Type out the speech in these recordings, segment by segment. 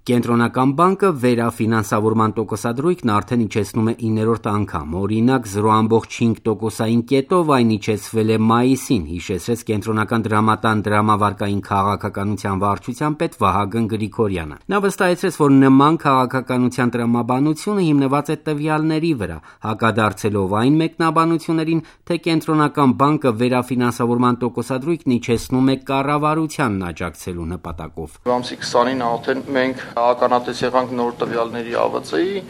Կենտրոնական բանկը վերաֆինանսավորման տոկոսադրույքն արդեն իջեցնում է 9-րդ անգամ, օրինակ 0,5%-ային կետով այն իջեցվել է մայիսին, հիշեցրեց Կենտրոնական դրամատան դրամավարկային քաղաքականության վարչության պետ Վահագն Գրիգորյանը։ Նա վստահեցրեց, որ նման քաղաքականության տրամաբանությունը հիմնված է տվյալների վրա, հակադարձելով այն մեկնաբանություններին, թե Կենտրոնական բանկը վերաֆինանսավորման տոկոսադրույքն իջեցնում է կառավարությանն աջակցելու նպատակով։ Ամսի 20-ին արդեն մենք ականատես եղանք նոր տվյալների ԱՎԾ-ի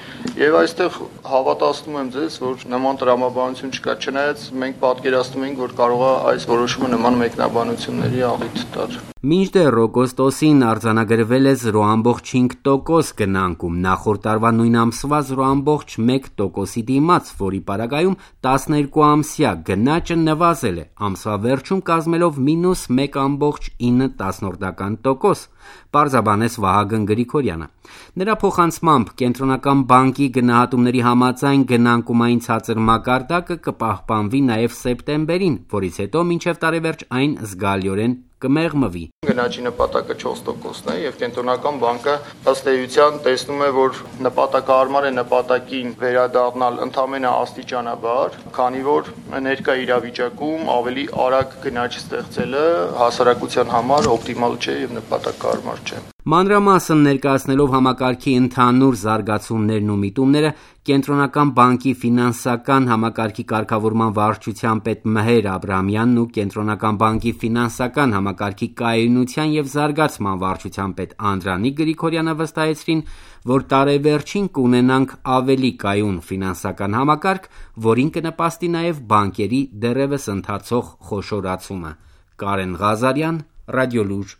եւ այստեղ հավատացնում եմ ձեզ, որ նման տրամաբանություն չկա, չնայած մենք պատկերացնում ենք, որ կարող է այս որոշումը նման մեկնաբանությունների աղիթ տալ։ Մինչդեռ օգոստոսին արձանագրվել է 0,5% գնանկում, նախորդ տարվա նույն ամսվա 0,1%-ի դիմաց, որի պարագայում 12-ամսյա գնաճը նվազել է, ամսվա վերջում կազմելով -1,9%, պարզաբանեց Վահագն Գրիգորյանը։ Նրա փոխանցմամբ Կենտրոնական բանկի գնահատումների համաձայն գնանկումային ցածր մակարդակը կպահպանվի նաև սեպտեմբերին, որից հետո մինչև տարեվերջ այն զգալիորեն կմեղմվի։ Գնաճի նպատակը 4%-ն է եւ Կենտրոնական բանկը ըստ էության տեսնում է, որ նպատակահարմար է նպատակին վերադառնալ ընդամենը աստիճանաբար, քանի որ ներկա իրավիճակում ավելի արագ գնաճ ստեղծելը հասարակության համար օպտիմալ չէ եւ նպատակահարմար չէ։ Մանրամասն ներկայացնելով համակարգի ընդհանուր զարգացումներն ու միտումները, Կենտրոնական բանկի ֆինանսական համակարգի կարգավորման վարչության պետ Մհեր Աբրահամյանն ու Կենտրոնական բանկի ֆինանսական համակարգի կայունության եւ զարգացման վարչության պետ Անդրանիկ Գրիգորյանը վստահեցրին, որ տարեվերջին կունենանք ավելի կայուն ֆինանսական համակարգ, որին կնպաստի նաեւ բանկերի դեռևս ընթացող խոշորացումը։ Կարեն Ղազարյան, Ռադիոլուր